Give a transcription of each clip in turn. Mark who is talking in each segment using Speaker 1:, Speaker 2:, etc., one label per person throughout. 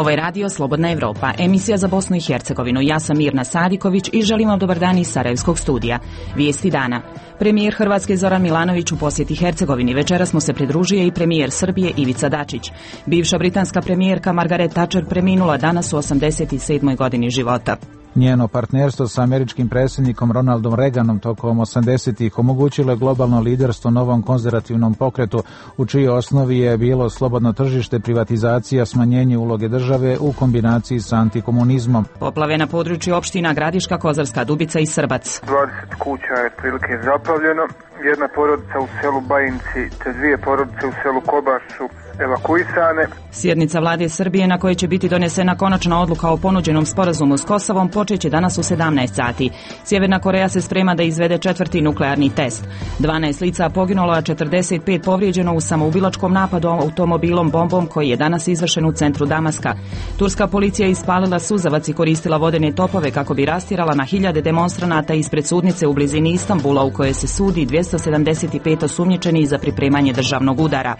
Speaker 1: Ovo je radio Slobodna Evropa, emisija za Bosnu i Hercegovinu. Ja sam Mirna Sadiković i želim vam dobar dan iz Sarajevskog studija. Vijesti dana. Premijer Hrvatske Zoran Milanović u posjeti Hercegovini. Večeras mu se pridružuje i premijer Srbije Ivica Dačić. Bivša britanska premijerka Margaret Thatcher preminula danas u 87. godini života.
Speaker 2: Njeno partnerstvo sa američkim predsjednikom Ronaldom Reaganom tokom 80-ih omogućilo je globalno liderstvo novom konzervativnom pokretu, u čijoj osnovi je bilo slobodno tržište, privatizacija, smanjenje uloge države u kombinaciji sa antikomunizmom.
Speaker 1: Poplave na području opština Gradiška, Kozarska Dubica i Srbac.
Speaker 3: 20 kuća je prilike zaplavljeno, jedna porodica u selu Bajinci te dvije porodice u selu Kobaš su evakuisane.
Speaker 1: Sjednica vlade Srbije na kojoj će biti donesena konačna odluka o ponuđenom sporazumu s Kosovom počeće danas u 17 sati. Sjeverna Koreja se sprema da izvede 4. nuklearni test. 12 lica poginulo, a 45 povrijeđeno u samoubilačkom napadu automobilom bombom koji je danas izvršen u centru Damaska. Turska policija ispalila suzavac i koristila vodene topove kako bi rastjerala na hiljade demonstranata ispred sudnice u blizini Istanbula u kojoj se sudi 275 osumnjičenih za pripremanje državnog udara.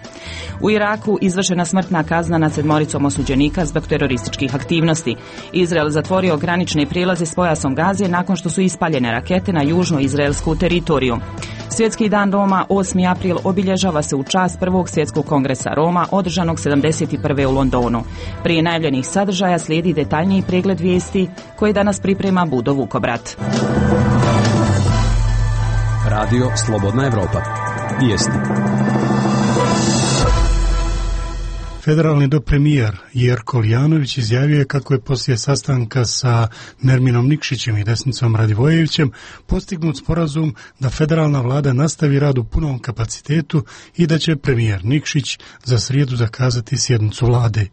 Speaker 1: U Iraku izvršena smrtna kazna nad 7 osuđenika zbog terorističkih aktivnosti. Izrael zatvorio granične prijelaze s pojasom Gaze nakon što su ispaljene rakete na južno-izraelsku teritoriju. Svjetski dan Roma 8. april obilježava se u čast Prvog svjetskog kongresa Roma održanog 71. u Londonu. Prije najavljenih sadržaja slijedi detaljniji pregled vijesti koje danas priprema Budo Vukobrat.
Speaker 4: Radio Slobodna Evropa. Vijesti.
Speaker 5: Federalni dopremijer Jerko Lijanović izjavio je kako je poslije sastanka sa Nerminom Nikšićem i Desnicom Radivojevićem postignut sporazum da federalna vlada nastavi rad u punom kapacitetu i da će premijer Nikšić za srijedu zakazati sjednicu vlade.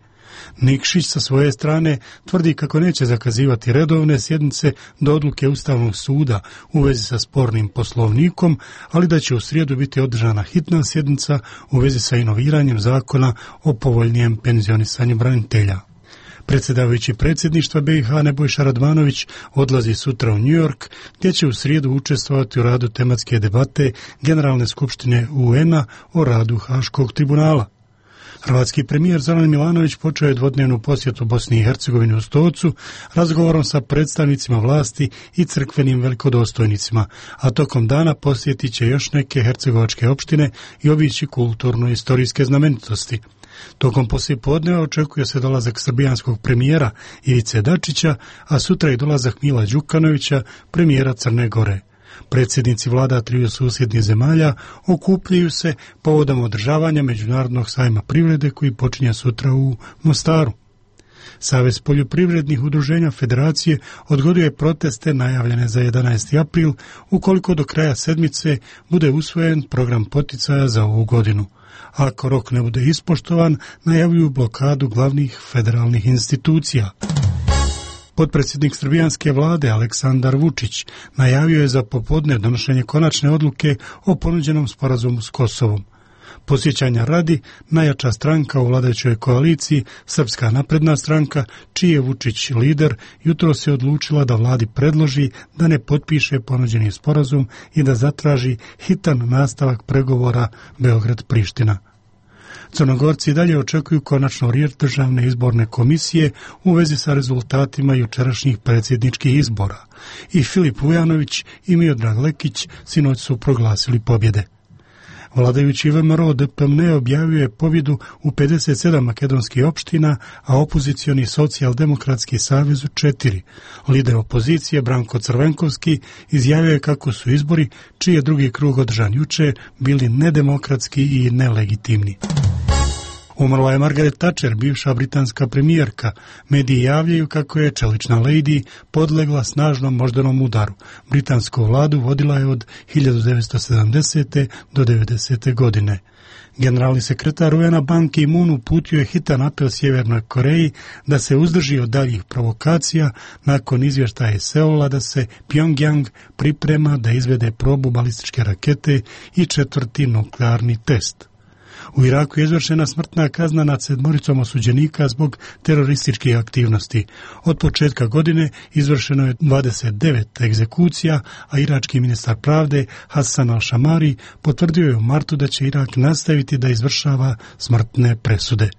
Speaker 5: Nikšić sa svoje strane tvrdi kako neće zakazivati redovne sjednice do odluke Ustavnog suda u vezi sa spornim poslovnikom, ali da će u srijedu biti održana hitna sjednica u vezi sa inoviranjem zakona o povoljnijem penzionisanju branitelja. Predsjedavajući predsjedništva BiH Nebojša Radmanović odlazi sutra u New York, gdje će u srijedu učestvovati u radu tematske debate Generalne skupštine UN-a o radu Haškog tribunala. Hrvatski premijer Zoran Milanović počeo je dvodnevnu posjetu Bosni i Hercegovini u Stocu razgovorom sa predstavnicima vlasti i crkvenim velikodostojnicima, a tokom dana posjetit će još neke hercegovačke opštine i obići kulturno-istorijske znamenitosti. Tokom poslijepodneva očekuje se dolazak srbijanskog premijera Ivice Dačića, a sutra i dolazak Mila Đukanovića, premijera Crne Gore. Predsjednici vlada triju susjednih zemalja okupljaju se povodom održavanja Međunarodnog sajma privrede koji počinje sutra u Mostaru. Savez poljoprivrednih udruženja Federacije odgoduje proteste najavljene za 11. april ukoliko do kraja sedmice bude usvojen program poticaja za ovu godinu. Ako rok ne bude ispoštovan, najavljuju blokadu glavnih federalnih institucija. Potpredsjednik srbijanske vlade Aleksandar Vučić najavio je za popodne donošenje konačne odluke o ponuđenom sporazumu s Kosovom. Podsjećanja radi, najjača stranka u vladajućoj koaliciji, Srpska napredna stranka, čiji je Vučić lider, jutros se odlučila da vladi predloži da ne potpiše ponuđeni sporazum i da zatraži hitan nastavak pregovora Beograd-Priština. Crnogorci dalje očekuju konačno riječ Državne izborne komisije u vezi sa rezultatima jučerašnjih predsjedničkih izbora. I Filip Vujanović i Miodrag Lekić sinoć su proglasili pobjede. Vladajući VMRO DPMNE objavio je pobjedu u 57 makedonskih opština, a opozicioni socijaldemokratski savez u 4. Lider opozicije Branko Crvenkovski izjavio je kako su izbori, čiji je drugi krug održan juče, bili nedemokratski i nelegitimni. Umrla je Margaret Thatcher, bivša britanska premijerka. Mediji javljaju kako je čelična lady podlegla snažnom moždanom udaru. Britansku vladu vodila je od 1970. do 90. godine. Generalni sekretar UN-a Ban Ki-moon uputio je hitan apel Sjevernoj Koreji da se uzdrži od daljih provokacija nakon izvještaja iz Seula da se Pyongyang priprema da izvede probu balističke rakete i 4. nuklearni test. U Iraku je izvršena smrtna kazna nad 7 osuđenika zbog terorističkih aktivnosti. Od početka godine izvršeno je 29 egzekucija, a irački ministar pravde Hassan al-Shamari potvrdio je u martu da će Irak nastaviti da izvršava smrtne presude.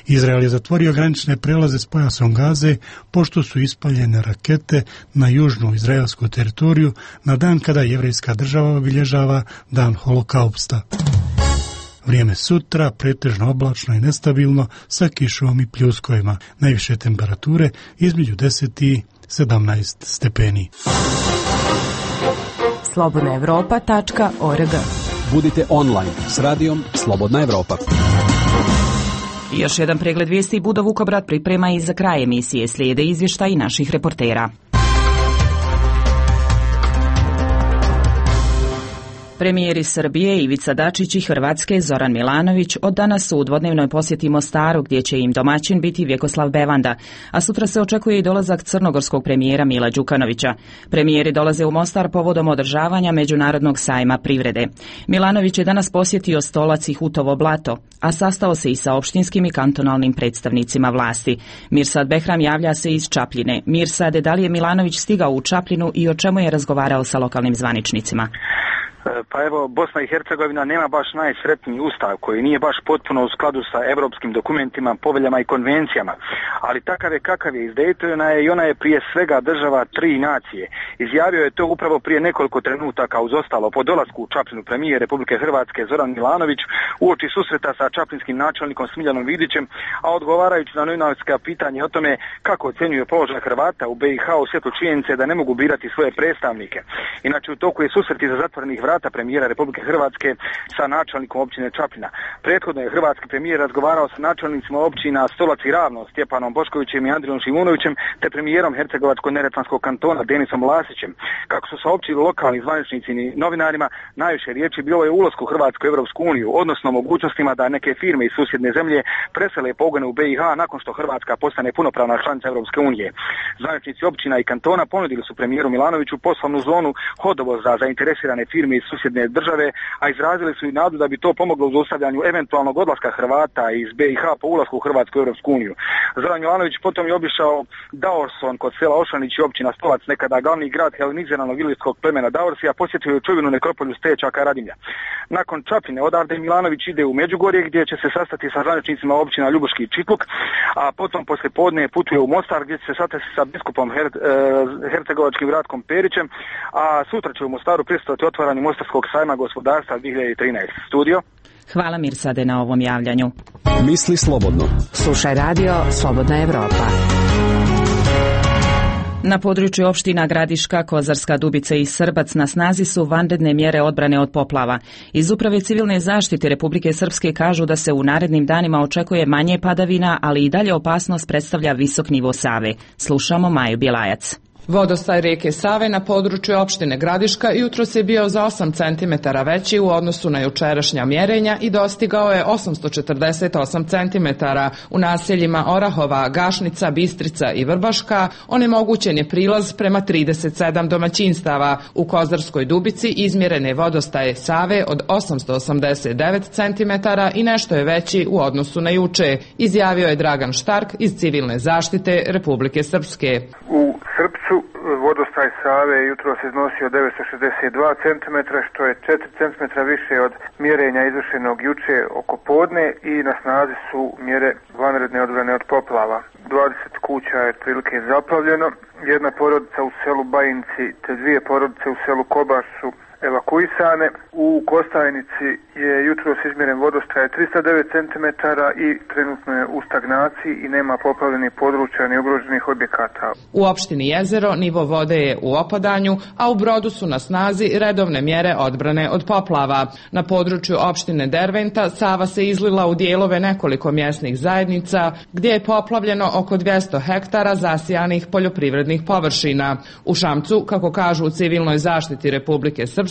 Speaker 5: Izrael je zatvorio granične prelaze s pojasom Gaze pošto su ispaljene rakete na južnu izraelsku teritoriju na dan kada jevrejska država obilježava dan holokausta. Vrijeme sutra pretežno oblačno i nestabilno sa kišom i pljuskovima. Najviše temperature između 10 i 17 stepeni.
Speaker 6: slobodnaevropa.org.
Speaker 4: Budite online s radijom Slobodna Evropa.
Speaker 1: Još jedan pregled vijesti Budo Vukobrad priprema i za kraj emisije. Slijede izvještaji naših reportera. Premijeri Srbije Ivica Dačić i Hrvatske Zoran Milanović od danas su u dvodnevnoj posjeti Mostaru gdje će im domaćin biti Vjekoslav Bevanda, a sutra se očekuje i dolazak crnogorskog premijera Mila Đukanovića. Premijeri dolaze u Mostar povodom održavanja Međunarodnog sajma privrede. Milanović je danas posjetio Stolac i Hutovo Blato, a sastao se i sa opštinskim i kantonalnim predstavnicima vlasti. Mirsad Behram javlja se iz Čapljine. Mirsade, da li je Milanović stigao u Čapljinu i o čemu je razgovarao sa lokalnim zvaničnicima?
Speaker 7: Pa evo, Bosna i Hercegovina nema baš najsretniji ustav koji nije baš potpuno u skladu sa europskim dokumentima, poveljama i konvencijama, ali takav je kakav je iz Daytona i ona je prije svega država tri nacije. Izjavio je to upravo prije nekoliko trenutaka uz ostalo po dolasku u Čapljinu premijer Republike Hrvatske Zoran Milanović uoči susreta sa čaplinskim načelnikom Smiljanom Vidićem, a odgovarajući na novinarska pitanja o tome kako ocjenjuje položaj Hrvata u BiH u svjetlu činjenice da ne mogu birati svoje predstavnike. Inače, u toku je susret iza zatvorenih vrata premijera Republike Hrvatske sa načelnikom općine Čapljina. Prethodno je hrvatski premijer razgovarao sa načelnicima općina Stolac i Ravno, Stjepanom Boškovićem i Andrijom Šimunovićem, te premijerom Hercegovačko-neretvanskog kantona Denisom Lasićem. Kako su saopćili lokalni zvaničnici i novinarima, najviše riječi bilo je o ulasku Hrvatske u Europsku uniju, odnosno mogućnostima da neke firme iz susjedne zemlje presele pogone u BiH nakon što Hrvatska postane punopravna članica Europske unije. Zvaničnici općina i kantona ponudili su premijeru Milanoviću poslovnu zonu Hodovo za zainteresirane firme iz susjedne države, a izrazili su i nadu da bi to pomoglo u zaustavljanju eventualnog odlaska Hrvata iz BiH po ulasku u Hrvatsku u Europsku uniju. Zoran Milanović potom je obišao Daorson kod sela Ošanić i općina Stolac, nekada glavni grad heleniziranog ilirskog plemena Daorsija, posjetio je čuvenu nekropolju Stečaka Radimlja. Nakon Čapljine odavde Milanović ide u Međugorje gdje će se sastati sa zvaničnicima općina Ljubuški i Čitluk, a potom poslije podne putuje u Mostar gdje će se sastati sa biskupom hercegovačkim Ratkom Perićem, a sutra će u Mostaru prisustvovati otvaranju Mostarskog sajma gospodarstva 2013. Studio.
Speaker 1: Hvala Mirsade na ovom javljanju.
Speaker 4: Misli slobodno.
Speaker 6: Slušaj radio Slobodna Evropa.
Speaker 1: Na području opština Gradiška, Kozarska Dubica i Srbac na snazi su vanredne mjere odbrane od poplava. Iz Uprave civilne zaštite Republike Srpske kažu da se u narednim danima očekuje manje padavina, ali i dalje opasnost predstavlja visok nivo Save. Slušamo Maju Bjelajac.
Speaker 8: Vodostaj rijeke Save na području opštine Gradiška jutros je bio za 8 cm veći u odnosu na jučerašnja mjerenja i dostigao je 848 cm. U naseljima Orahova, Gašnica, Bistrica i Vrbaška onemogućen je prilaz prema 37 domaćinstava. U Kozarskoj Dubici izmjeren je vodostaj Save od 889 cm i nešto je veći u odnosu na juče, izjavio je Dragan Štark iz Civilne zaštite Republike Srpske.
Speaker 3: U Srpcu vodostaj Save jutros iznosio 962 cm, što je 4 cm više od mjerenja izvršenog juče oko podne i na snazi su mjere vanredne odbrane od poplava. 20 kuća je prilike zaplavljeno, jedna porodica u selu Bajinci te dvije porodice u selu Kobaš su evakuisane. U Kostajnici je jutros izmjeren vodostaj 309 cm i trenutno je u stagnaciji i nema poplavljenih područja ni ugroženih objekata.
Speaker 8: U opštini Jezero nivo vode je u opadanju, a u Brodu su na snazi redovne mjere odbrane od poplava. Na području opštine Derventa Sava se izlila u dijelove nekoliko mjesnih zajednica gdje je poplavljeno oko 200 hektara zasijanih poljoprivrednih površina. U Šamcu, kako kažu u Civilnoj zaštiti Republike Srpske,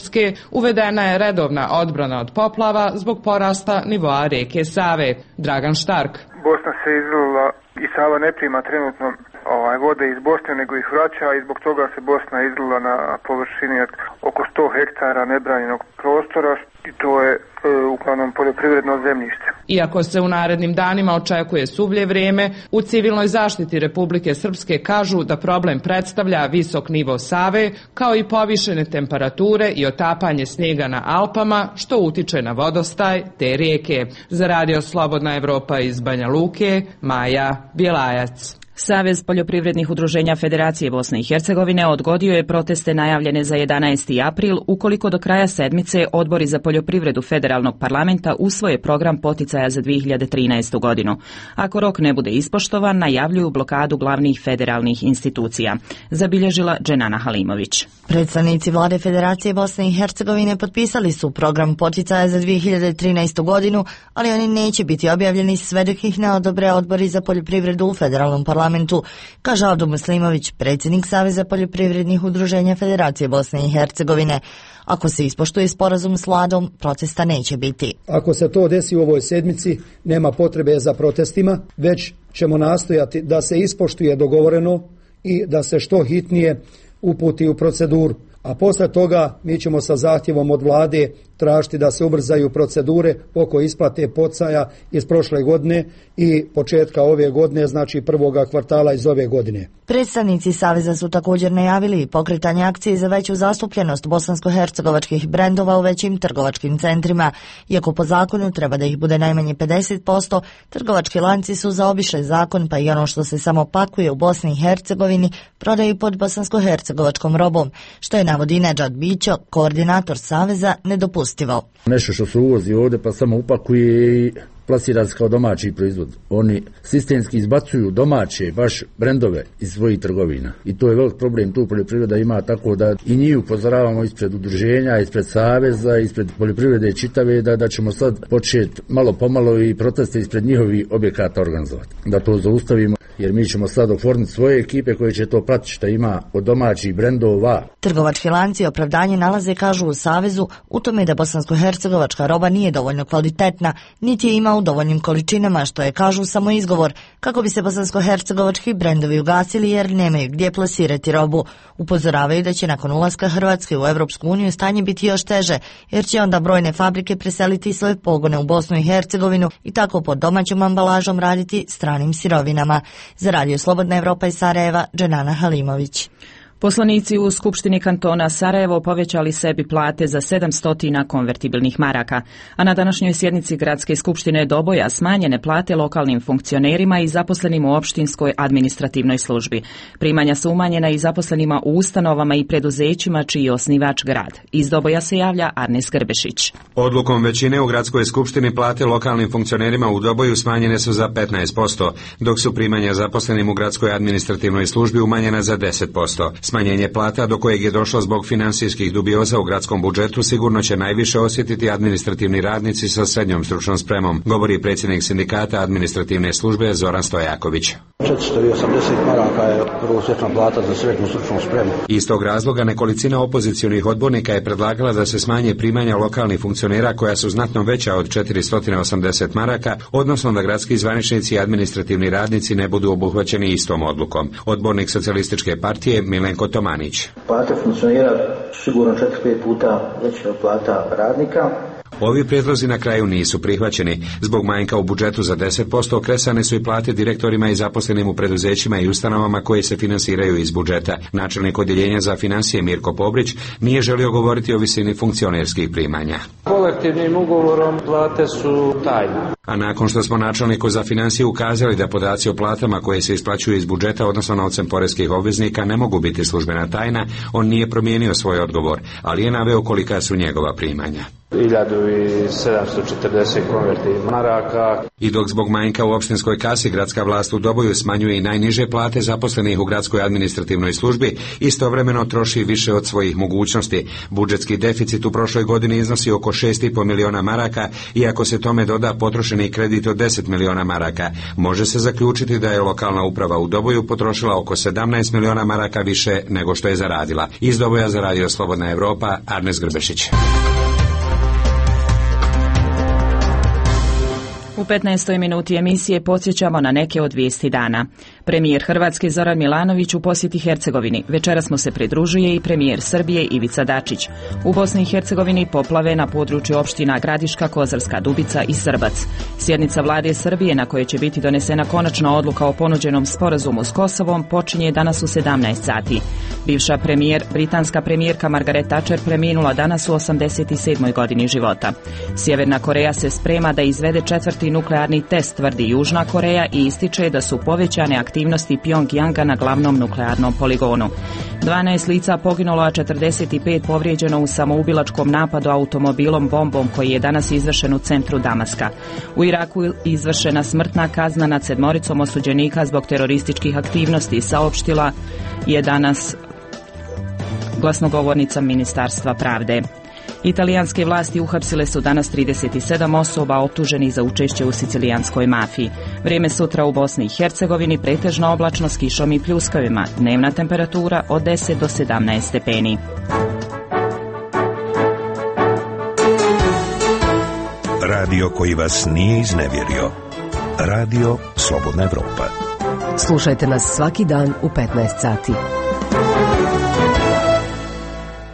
Speaker 8: uvedena je redovna odbrana od poplava zbog porasta nivoa rijeke Save. Dragan Štark.
Speaker 3: Bosna se izlila i Sava ne prima trenutno vode iz Bosne, nego ih vraća i zbog toga se Bosna izlila na površini oko 100 hektara nebranjenog prostora i to je uglavnom poljoprivredno zemljište.
Speaker 8: Iako se u narednim danima očekuje suvlje vrijeme, u civilnoj zaštiti Republike Srpske kažu da problem predstavlja visok nivo Save, kao i povišene temperature i otapanje snijega na Alpama, što utiče na vodostaj te rijeke. Za Radio Slobodna Evropa iz Banja Luke, Maja Bjelajac.
Speaker 1: Savez poljoprivrednih udruženja Federacije Bosne i Hercegovine odgodio je proteste najavljene za 11. april ukoliko do kraja sedmice odbori za poljoprivredu Federalnog parlamenta usvoje program poticaja za 2013. godinu. Ako rok ne bude ispoštovan, najavljuju blokadu glavnih federalnih institucija. Zabilježila Dženana Halimović.
Speaker 9: Predstavnici vlade Federacije Bosne i Hercegovine potpisali su program poticaja za 2013. godinu, ali oni neće biti objavljeni sve dok ih ne odobre odbori za poljoprivredu u Federalnom parlamentu, kaže Avdo Muslimović, predsjednik Saveza poljoprivrednih udruženja Federacije Bosne i Hercegovine. Ako se ispoštuje sporazum s vladom, protesta neće biti.
Speaker 10: Ako se to desi u ovoj sedmici, nema potrebe za protestima, već ćemo nastojati da se ispoštuje dogovoreno i da se što hitnije uputi u proceduru. A posle toga mi ćemo sa zahtjevom od vlade tražiti da se ubrzaju procedure oko isplate poticaja iz prošle godine i početka ove godine, znači prvoga kvartala iz ove godine.
Speaker 9: Predstavnici Saveza su također najavili pokretanje akcije za veću zastupljenost bosansko-hercegovačkih brendova u većim trgovačkim centrima. Iako po zakonu treba da ih bude najmanje 50%, trgovački lanci su zaobišli zakon, pa i ono što se samo pakuje u Bosni i Hercegovini prodaju pod bosansko-hercegovačkom robom, što je navodi Nedžad Bićo, koordinator Saveza, nedopustivo.
Speaker 11: Nešto što se uvozi ovdje pa samo upakuje i plasira se kao domaći proizvod. Oni sistemski izbacuju domaće baš brendove iz svojih trgovina. I to je velik problem, tu poljoprivreda ima, tako da i njih upozoravamo ispred udruženja, ispred Saveza, ispred poljoprivrede čitave, da ćemo sad početi malo pomalo i proteste ispred njihovih objekata organizovati. Da to zaustavimo, jer mi ćemo sad oformiti svoje ekipe koje će to pratiti što ima od domaćih brendova.
Speaker 9: Trgovački lanci opravdanje nalaze, kažu u Savezu, u tome da bosansko-hercegovačka roba nije dovoljno kvalitetna, niti je ima u dovoljnim količinama, što je, kažu, samo izgovor kako bi se bosansko-hercegovački brendovi ugasili jer nemaju gdje plasirati robu. Upozoravaju da će nakon ulaska Hrvatske u Europsku uniju stanje biti još teže, jer će onda brojne fabrike preseliti svoje pogone u Bosnu i Hercegovinu i tako pod domaćom ambalažom raditi stranim sirovinama. Za Radio Slobodna Evropa iz Sarajeva, Dženana Halimović.
Speaker 1: Poslanici u Skupštini kantona Sarajevo povećali sebi plate za 700 konvertibilnih maraka, a na današnjoj sjednici Gradske skupštine Doboja smanjene plate lokalnim funkcionerima i zaposlenim u opštinskoj administrativnoj službi. Primanja su umanjena i zaposlenima u ustanovama i preduzećima čiji je osnivač grad. Iz Doboja se javlja Arnes Grbešić.
Speaker 12: Odlukom većine u Gradskoj skupštini plate lokalnim funkcionerima u Doboju smanjene su za 15%, dok su primanja zaposlenim u Gradskoj administrativnoj službi umanjena za 10%. Smanjenje plata do kojeg je došlo zbog financijskih dubioza u gradskom budžetu sigurno će najviše osjetiti administrativni radnici sa srednjom stručnom spremom, govori predsjednik sindikata administrativne službe Zoran Stojaković.
Speaker 13: 480 maraka je prosječna plata za srednju stručnu spremu.
Speaker 12: Iz tog razloga nekolicina opozicionih odbornika je predlagala da se smanje primanja lokalnih funkcionera koja su znatno veća od 480 maraka, odnosno da gradski zvaničnici i administrativni radnici ne budu obuhvaćeni istom odlukom. Odbornik Socijalističke partije Milenko Tomanić.
Speaker 13: Plate funkcionera sigurno 4-5 puta veće od plata radnika.
Speaker 12: Ovi prijedlozi na kraju nisu prihvaćeni. Zbog manjka u budžetu za 10% kresane su i plate direktorima i zaposlenim u preduzećima i ustanovama koje se finansiraju iz budžeta. Načelnik odjeljenja za financije Mirko Pobrić nije želio govoriti o visini funkcionerskih primanja.
Speaker 14: Kolektivnim ugovorom plate su tajne.
Speaker 12: A nakon što smo načelniku za financije ukazali da podaci o platama koje se isplaćuju iz budžeta, odnosno novcem poreskih obveznika, ne mogu biti službena tajna, on nije promijenio svoj odgovor, ali je naveo kolika su njegova primanja.
Speaker 14: 1740 konvertibilnih maraka.
Speaker 12: I dok zbog manjka u opštinskoj kasi gradska vlast u Doboju smanjuje i najniže plate zaposlenih u gradskoj administrativnoj službi, istovremeno troši više od svojih mogućnosti. Budžetski deficit u prošloj godini iznosi oko 6,5 miliona maraka, i ako se tome doda potrošeni kredit od 10 miliona maraka, može se zaključiti da je lokalna uprava u Doboju potrošila oko 17 miliona maraka više nego što je zaradila. Iz Doboja za Radio Slobodna Evropa, Arnes Grbešić.
Speaker 1: U 15. minuti emisije podsjećamo na neke od vijesti dana. Premijer Hrvatske Zoran Milanović u posjeti Hercegovini. Večeras mu se pridružuje i premijer Srbije Ivica Dačić. U Bosni i Hercegovini poplave na području opština Gradiška, Kozarska Dubica i Srbac. Sjednica vlade Srbije na kojoj će biti donesena konačna odluka o ponuđenom sporazumu s Kosovom počinje danas u 17 sati. Bivša britanska premijerka Margaret Thatcher preminula danas u 87. godini života. Sjeverna Koreja se sprema da izvede 4. nuklearni test, tvrdi Južna Koreja, i ističe da su povećane aktivnosti Pjongjanga na glavnom nuklearnom poligonu. 12 lica poginulo, a 45 povrijeđeno u samoubilačkom napadu automobilom bombom koji je danas izvršen u centru Damaska. U Iraku izvršena smrtna kazna nad 7 osuđenika zbog terorističkih aktivnosti, saopštila je danas glasnogovornica Ministarstva pravde. Italijanske vlasti uhapsile su danas 37 osoba optuženih za učešće u sicilijanskoj mafiji. Vrijeme sutra u Bosni i Hercegovini pretežno oblačno s kišom i pljuskavima. Dnevna temperatura od 10 do 17 stepeni.
Speaker 15: Radio koji vas nije iznevjerio. Radio Slobodna Evropa.
Speaker 6: Slušajte nas svaki dan u 15 sati.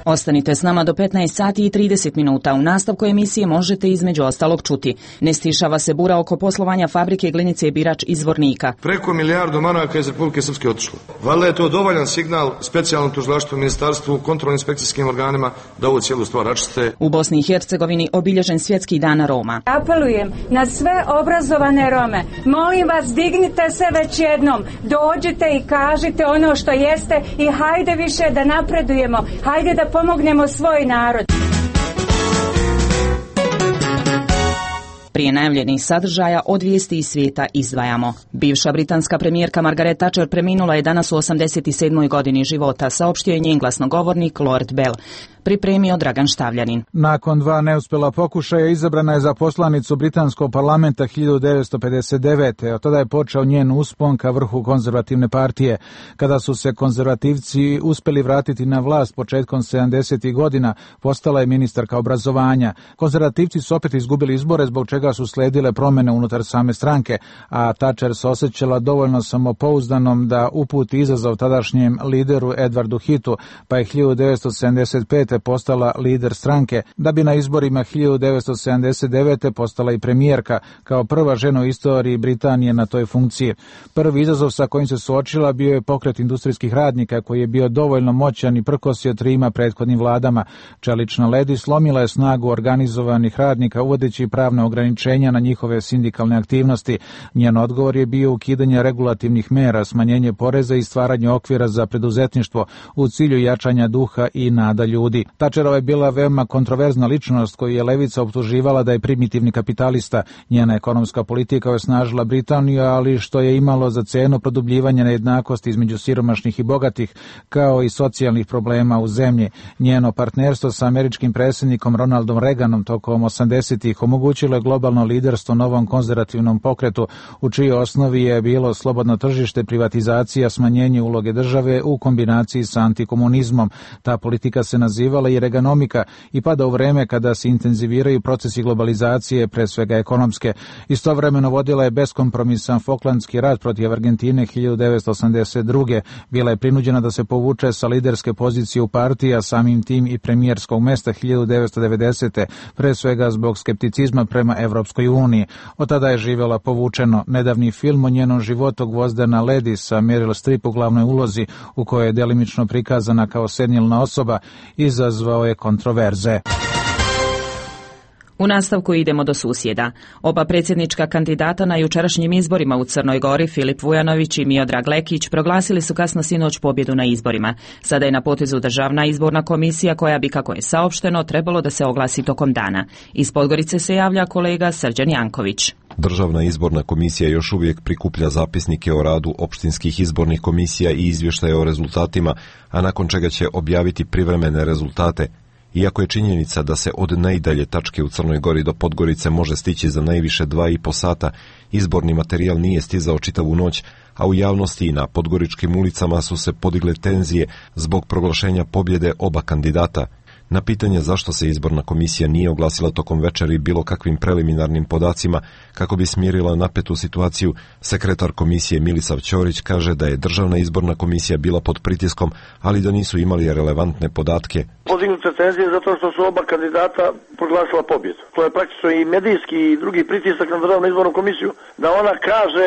Speaker 1: Ostanite s nama do 15 sati i 30 minuta. U nastavku emisije možete između ostalog čuti: ne stišava se bura oko poslovanja fabrike glinice Birač iz Zvornika.
Speaker 16: Preko 1 milijardu maraka iz Republike Srpske otišlo. Valjda je to dovoljan signal specijalnom tužilaštvu, ministarstvu, kontrolno-inspekcijskim organima da ovu cijelu stvar račiste.
Speaker 1: U Bosni i Hercegovini obilježen Svjetski dan Roma.
Speaker 17: Apelujem na sve obrazovane Rome. Molim vas, dignite se već jednom. Dođite i kažite ono što jeste i hajde više da napredujemo. Hajde da pomognemo svoj narod.
Speaker 1: Prije najavljenih sadržaja od vijesti iz svijeta izdvajamo. Bivša britanska premijerka Margaret Thatcher preminula je danas u 87. godini života, saopštio je njen glasnogovornik Lord Bell. Pripremio Dragan Štavljanin.
Speaker 2: Nakon 2 neuspjela pokušaja izabrana je za poslanicu britanskog parlamenta 1959. Od tada je počeo njen uspon ka vrhu konzervativne partije. Kada su se konzervativci uspjeli vratiti na vlast početkom 70. godina, postala je ministarka obrazovanja. Konzervativci su opet izgubili izbore, zbog čega su sledile promjene unutar same stranke, a Thatcher se osjećala dovoljno samopouzdanom da uputi izazov tadašnjem lideru Edwardu Heathu, pa je 1975. postala lider stranke, da bi na izborima 1979. postala i premijerka, kao prva žena u istoriji Britanije na toj funkciji. Prvi izazov sa kojim se suočila bio je pokret industrijskih radnika, koji je bio dovoljno moćan i prkosio 3 prethodnim vladama. Čelična ledi slomila je snagu organizovanih radnika, uvodeći pravne ograničenja na njihove sindikalne aktivnosti. Njen odgovor je bio ukidanje regulativnih mera, smanjenje poreza i stvaranje okvira za preduzetništvo u cilju jačanja duha i nada ljudi. Thatcherova je bila veoma kontroverzna ličnost koju je levica optuživala da je primitivni kapitalista. Njena ekonomska politika je osnažila Britaniju, ali što je imalo za cenu produbljivanje nejednakosti između siromašnih i bogatih, kao i socijalnih problema u zemlji. Njeno partnerstvo sa američkim predsjednikom Ronaldom Reaganom tokom 80-ih omogućilo je globalno liderstvo novom konzervativnom pokretu, u čijoj osnovi je bilo slobodno tržište, privatizacija, smanjenje uloge države u kombinaciji sa antikomunizmom. Ta politika se nazivala i Reaganomika i pada u vreme kada se intenziviraju procesi globalizacije, pre svega ekonomske. Istovremeno vodila je beskompromisan Falklandski rat protiv Argentine 1982. Bila je prinuđena da se povuče sa liderske pozicije u partiji, a samim tim i premijerskog mesta 1990. pre svega zbog skepticizma prema Evropskoj uniji. Od tada je živjela povučeno. Nedavni film o njenom životu Gvozdena ledi sa Meryl Streep u glavnoj ulozi, u kojoj je delimično prikazana kao senilna osoba, izazvao je kontroverze.
Speaker 1: U nastavku idemo do susjeda. Oba predsjednička kandidata na jučerašnjim izborima u Crnoj Gori, Filip Vujanović i Miodrag Lekić, proglasili su kasno sinoć pobjedu na izborima. Sada je na potezu Državna izborna komisija koja bi, kako je saopšteno, trebalo da se oglasi tokom dana. Iz Podgorice se javlja kolega Srđan Janković.
Speaker 18: Državna izborna komisija još uvijek prikuplja zapisnike o radu opštinskih izbornih komisija i izvještaje o rezultatima, a nakon čega će objaviti privremene rezultate. Iako je činjenica da se od najdalje tačke u Crnoj Gori do Podgorice može stići za najviše 2,5 sata, izborni materijal nije stizao čitavu noć, a u javnosti i na podgoričkim ulicama su se podigle tenzije zbog proglašenja pobjede oba kandidata. Na pitanje zašto se izborna komisija nije oglasila tokom večeri bilo kakvim preliminarnim podacima kako bi smirila napetu situaciju, sekretar komisije Milisav Ćorić kaže da je Državna izborna komisija bila pod pritiskom, ali da nisu imali relevantne podatke.
Speaker 19: Podignute tenzije zato što su oba kandidata proglasila pobjedu. To je praktično i medijski i drugi pritisak na Državnu izbornu komisiju da ona kaže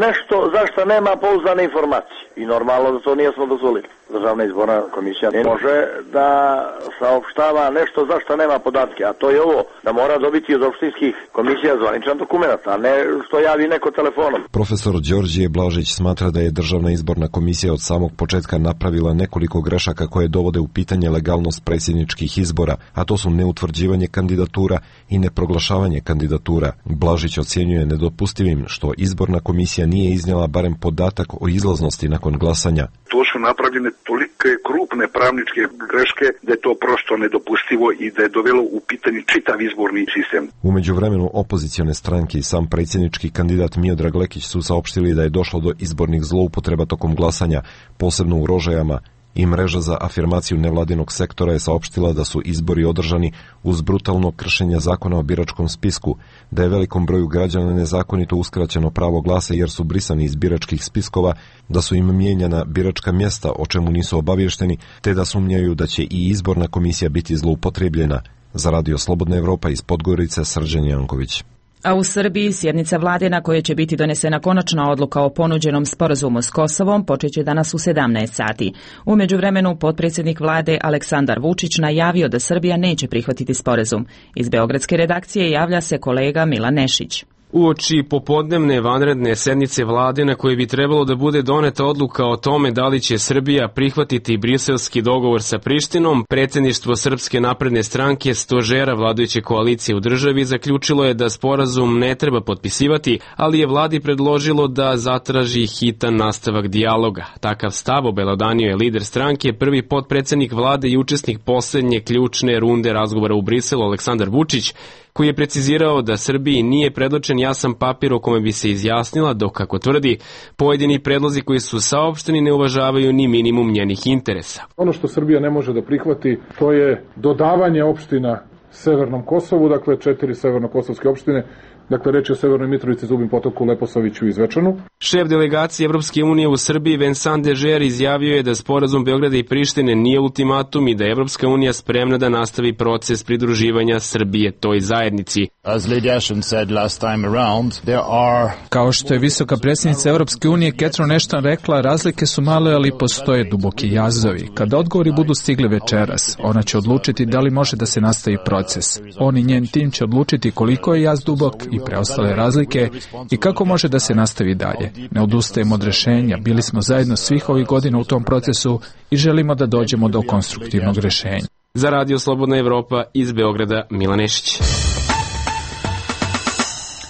Speaker 19: nešto zašto nema pouzdane informacije. I normalno da to nismo dozvolili. Državna izborna komisija ne može da saopštava nešto zašto nema podatke, a to je ovo, da mora dobiti od opštinskih komisija zvaničan dokument, a ne što javi neko telefonom.
Speaker 18: Profesor Đorđije Blažić smatra da je Državna izborna komisija od samog početka napravila nekoliko grešaka koje dovode u pitanje legalnost predsjedničkih izbora, a to su neutvrđivanje kandidatura i neproglašavanje kandidatura. Blažić ocjenjuje nedopustivim što izborna komisija nije iznijela barem podatak o izlaznosti nakon glasanja.
Speaker 20: To su napravljene tolike krupne pravničke greške da je to prosto nedopustivo i da je dovelo u pitanje čitav izborni sistem.
Speaker 18: U međuvremenu opozicione stranke i sam predsjednički kandidat Miodrag Lekić su saopštili da je došlo do izbornih zloupotreba tokom glasanja, posebno u Rožajama, i mreža za afirmaciju nevladinog sektora je saopštila da su izbori održani uz brutalno kršenje zakona o biračkom spisku, da je velikom broju građana nezakonito uskraćeno pravo glasa jer su brisani iz biračkih spiskova, da su im mijenjana biračka mjesta o čemu nisu obavješteni, te da sumnjaju da će i izborna komisija biti zloupotrebljena. Za Radio Slobodna Evropa iz Podgorice, Srđan Janković.
Speaker 1: A u Srbiji sjednica vlade na kojoj će biti donesena konačna odluka o ponuđenom sporazumu s Kosovom počeće danas u 17 sati. U međuvremenu potpredsjednik vlade Aleksandar Vučić najavio da Srbija neće prihvatiti sporazum. Iz beogradske redakcije javlja se kolega Milan Nešić.
Speaker 21: Uoči popodnevne vanredne sednice vlade na kojoj bi trebalo da bude doneta odluka o tome da li će Srbija prihvatiti briselski dogovor sa Prištinom, predsjedništvo Srpske napredne stranke, stožera vladajuće koalicije u državi, zaključilo je da sporazum ne treba potpisivati, ali je vladi predložilo da zatraži hitan nastavak dijaloga. Takav stav obelodanio je lider stranke, prvi potpredsjednik vlade i učesnik posljednje ključne runde razgovora u Briselu Aleksandar Vučić, koji je precizirao da Srbiji nije predočen jasan papir o kome bi se izjasnila, dok, kako tvrdi, pojedini predlozi koji su saopšteni ne uvažavaju ni minimum njenih interesa.
Speaker 22: Ono što Srbija ne može da prihvati, to je dodavanje opština Severnom Kosovu, dakle 4 severnokosovske opštine, dakle reč je o Severnoj Mitrovici, Zubin Potoku, Leposaviću i Zvečanu.
Speaker 21: Šef delegacije Evropske unije u Srbiji Vincent Dežer izjavio je da sporazum Beograda i Prištine nije ultimatum i da je Evropska unija spremna da nastavi proces pridruživanja Srbije toj zajednici.
Speaker 23: Kao što je visoka predsjednica Evropske unije Catherine Ashton rekla, razlike su male, ali postoje duboki jazovi. Kada odgovori budu stigli večeras, ona će odlučiti da li može da se nastavi proces. On i njen tim će odlučiti koliko je jaz dubok i preostale razlike i kako može da se nastavi dalje. Ne odustajemo od rješenja, bili smo zajedno svih ovih godina u tom procesu i želimo da dođemo do konstruktivnog rješenja.
Speaker 21: Za Radio Slobodna Evropa iz Beograda, Milan Nešić.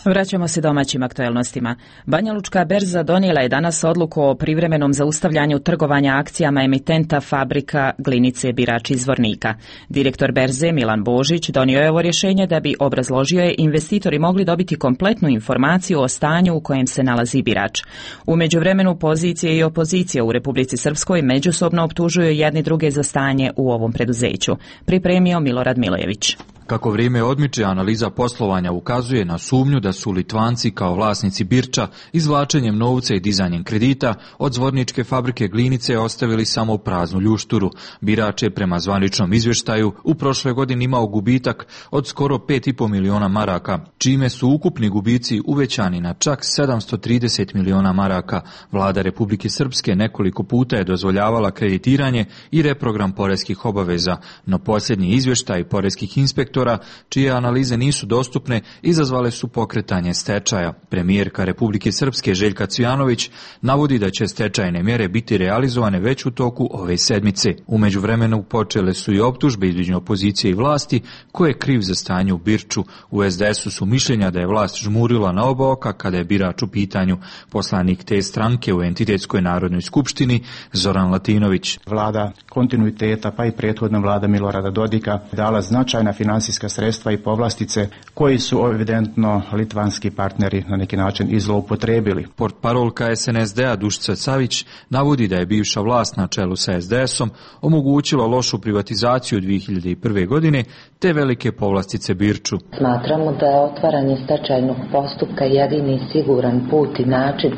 Speaker 1: Vraćamo se domaćim aktuelnostima. Banjalučka berza donijela je danas odluku o privremenom zaustavljanju trgovanja akcijama emitenta fabrika Glinice Birač iz Zvornika. Direktor berze Milan Božić donio je ovo rješenje da bi, obrazložio je, investitori mogli dobiti kompletnu informaciju o stanju u kojem se nalazi Birač. U međuvremenu pozicije i opozicija u Republici Srpskoj međusobno optužuju jedni druge za stanje u ovom preduzeću. Pripremio Milorad Milojević.
Speaker 24: Kako vrijeme odmiče, analiza poslovanja ukazuje na sumnju da su Litvanci kao vlasnici Birča izvlačenjem novca i dizanjem kredita od zvorničke fabrike Glinice ostavili samo praznu ljušturu. Birač je prema zvaničnom izvještaju u prošloj godini imao gubitak od skoro 5,5 miliona maraka, čime su ukupni gubici uvećani na čak 730 miliona maraka. Vlada Republike Srpske nekoliko puta je dozvoljavala kreditiranje i reprogram poreskih obaveza, no posljednji izvještaj poreskih inspektora, čije analize nisu dostupne, izazvale su pokretanje stečaja. Premijerka Republike Srpske Željka Cvijanović navodi da će stečajne mjere biti realizovane već u toku ove sedmice. U međuvremenu počele su i optužbe između opozicije i vlasti ko je kriv za stanje u Birču. U SDS-u su mišljenja da je vlast žmurila na oba oka kada je Birač u pitanju. Poslanik te stranke u Entitetskoj narodnoj skupštini Zoran Latinović.
Speaker 25: Vlada kontinuiteta pa i prethodna vlada Milorada Dodika dala značajna financijska
Speaker 3: financijska sredstva i povlastice koji su evidentno litvanski partneri na neki način i zloupotrebili.
Speaker 24: Portparolka SNSD-a Dušica Savić navodi da je bivša vlast na čelu sa SDS-om omogućila lošu privatizaciju 2001. godine te velike povlastice Birču.
Speaker 4: Smatramo da je otvaranje stečajnog postupka jedini siguran put i način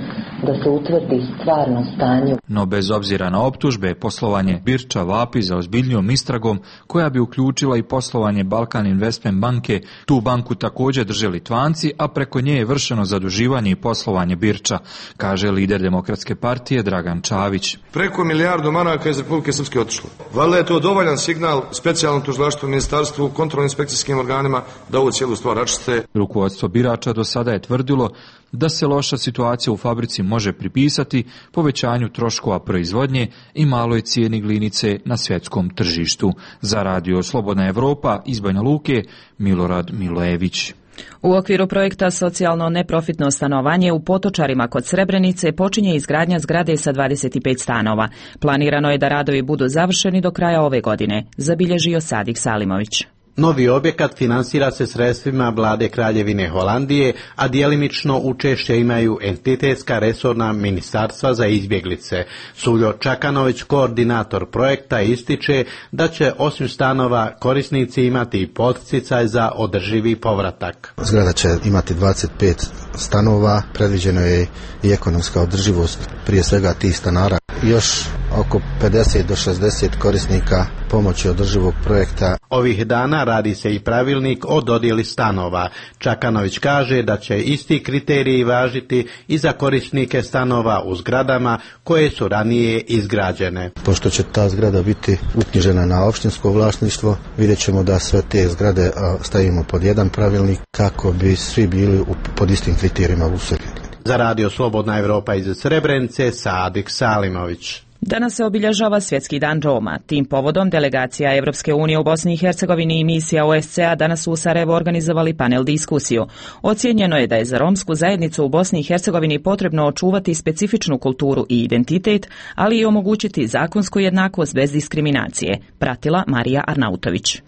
Speaker 4: da se utvrdi stvarno stanje.
Speaker 24: No bez obzira na optužbe, poslovanje Birča vapi za ozbiljnijom istragom koja bi uključila i poslovanje Balkan Investment banke. Tu banku također drže Litvanci, a preko nje je vršeno zaduživanje i poslovanje Birča, kaže lider Demokratske partije Dragan Čavić.
Speaker 16: Preko milijardu maraka iz Republike Srpske otišlo. Valjda je to dovoljan signal specijalnom tužilaštvu, ministarstvu, kontrolno-inspekcijskim organima da ovu cijelu stvar raščiste.
Speaker 24: Rukovodstvo birača do sada je tvrdilo da se loša situacija u fabrici može pripisati povećanju troškova proizvodnje i maloj cijeni glinice na svjetskom tržištu. Za Radio Slobodna Evropa iz Banja Luke, Milorad Milojević.
Speaker 1: U okviru projekta Socijalno neprofitno stanovanje u Potočarima kod Srebrenice počinje izgradnja zgrade sa 25 stanova. Planirano je da radovi budu završeni do kraja ove godine, zabilježio Sadik Salimović.
Speaker 5: Novi objekat finansira se sredstvima vlade Kraljevine Holandije, a djelimično učešće imaju entitetska resorna ministarstva za izbjeglice. Suljo Čakanović, koordinator projekta, ističe da će osim stanova korisnici imati i poticaj za održivi povratak.
Speaker 7: Zgrada će imati 25 stanova, predviđeno je i ekonomska održivost prije svega tih stanara. Još oko 50 do 60 korisnika pomoći održivog projekta.
Speaker 5: Ovih dana radi se i pravilnik o dodjeli stanova. Čakanović kaže da će isti kriteriji važiti i za korisnike stanova u zgradama koje su ranije izgrađene.
Speaker 7: Pošto će ta zgrada biti uknjižena na opštinsko vlasništvo, vidjet ćemo da sve te zgrade stavimo pod jedan pravilnik kako bi svi bili pod istim kriterijima useljeni.
Speaker 5: Za Radio Slobodna Evropa iz Srebrenice, Sadik Salimović.
Speaker 1: Danas se obilježava Svjetski dan Roma. Tim povodom delegacija Evropske unije u Bosni i Hercegovini i misija OSCE-a danas su u Sarajevu organizovali panel diskusiju. Ocijenjeno je da je za romsku zajednicu u Bosni i Hercegovini potrebno očuvati specifičnu kulturu i identitet, ali i omogućiti zakonsku jednakost bez diskriminacije. Pratila Marija Arnautović.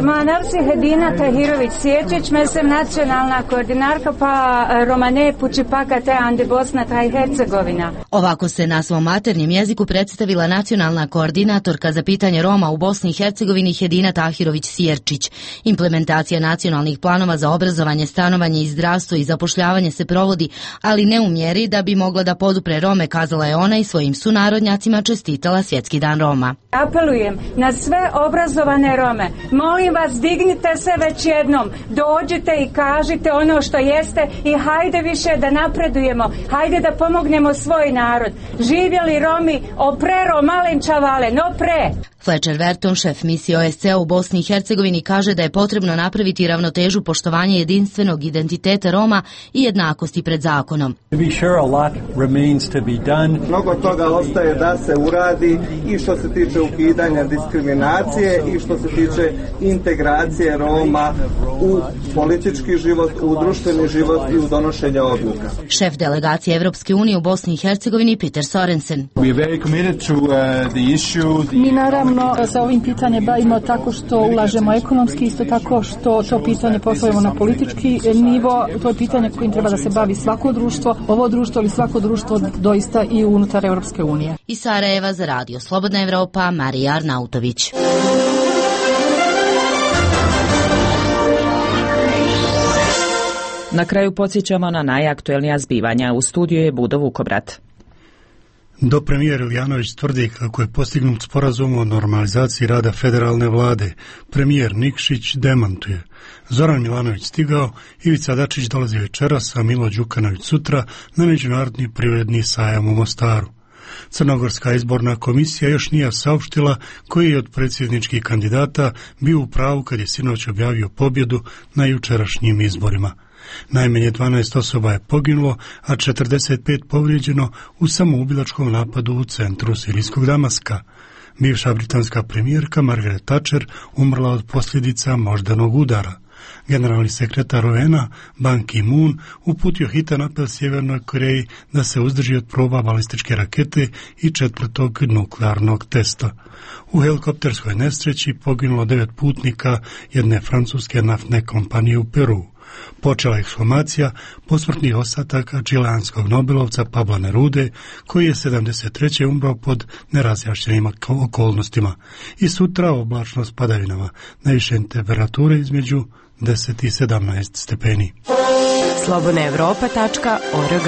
Speaker 17: Moja nav se Hedina Tahirović Sječić, mesem nacionalna koordinarka pa Romane Pučipaka te Ande Bosna taj Hercegovina.
Speaker 25: Ovako se na svom maternjem jeziku predstavila nacionalna koordinatorka za pitanje Roma u Bosni i Hercegovini Hedina Tahirović Sjerčić. Implementacija nacionalnih planova za obrazovanje, stanovanje i zdravstvo i zapošljavanje se provodi, ali ne u mjeri da bi mogla da podupre Rome, kazala je ona i svojim sunarodnjacima čestitala Svjetski dan Roma.
Speaker 17: Apelujem na sve obrazovane Rome. Molim vas, dignite se već jednom, dođite i kažite ono što jeste i hajde više da napredujemo, hajde da pomognemo svoj narod. Živjeli Romi, oprero malenčavale, no pre.
Speaker 25: Fletcher Verton, šef misije OSCE u Bosni i Hercegovini, kaže da je potrebno napraviti ravnotežu poštovanja jedinstvenog identiteta Roma i jednakosti pred zakonom.
Speaker 26: Mnogo toga ostaje da se uradi i što se tiče ukidanja diskriminacije i što se tiče integracije Roma u politički život, u društveni život i u donošenje odluka.
Speaker 25: Šef delegacije Evropske unije u Bosni i Hercegovini Peter Sorensen.
Speaker 27: Mi naravno sa ovim pitanjem bavimo tako što ulažemo ekonomski, isto tako što to pitanje postavimo na politički nivo. To je pitanje kojim treba da se bavi svako društvo, ovo društvo ili svako društvo doista i unutar Evropske unije.
Speaker 25: Iz Sarajeva za Radio Slobodna Evropa, Marija Arnautović.
Speaker 1: Na kraju podsjećamo na najaktuelnija zbivanja. U studiju je Budo Vukobrat.
Speaker 28: Dopremijer Ilijanović tvrdi kako je postignut sporazum o normalizaciji rada federalne vlade. Premijer Nikšić demantuje. Zoran Milanović stigao, Ivica Dačić dolazi večeras, a Milo Đukanović sutra na Međunarodni privredni sajam u Mostaru. Crnogorska izborna komisija još nije saopštila koji je od predsjedničkih kandidata bio u pravu kad je sinoć objavio pobjedu na jučerašnjim izborima. Najmanje 12 osoba je poginulo, a 45 povrijeđeno u samoubilačkom napadu u centru sirijskog Damaska. Bivša britanska premijerka Margaret Thatcher umrla od posljedica moždanog udara. Generalni sekretar UN-a Ban Ki-moon uputio hitan apel Sjevernoj Koreji da se uzdrži od proba balističke rakete i 4. nuklearnog testa. U helikopterskoj nesreći poginulo 9 putnika jedne francuske naftne kompanije u Peru. Počela ekshumacija posmrtnih ostataka čileanskog nobelovca Pabla Nerude, koji je 73. umro pod nerazjašnjenim okolnostima, i sutra oblačno s padavinama, najviše temperature između 10 i 17 stepeni.
Speaker 8: slobodnaevropa.org.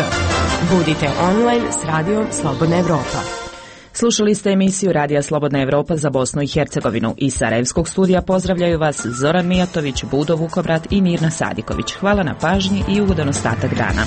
Speaker 8: Budite online s radijom Slobodna Evropa.
Speaker 1: Slušali ste emisiju Radija Slobodna Evropa za Bosnu i Hercegovinu. Iz Sarajevskog studija pozdravljaju vas Zoran Mijatović, Budo Vukobrat i Mirna Sadiković. Hvala na pažnji i ugodan ostatak dana.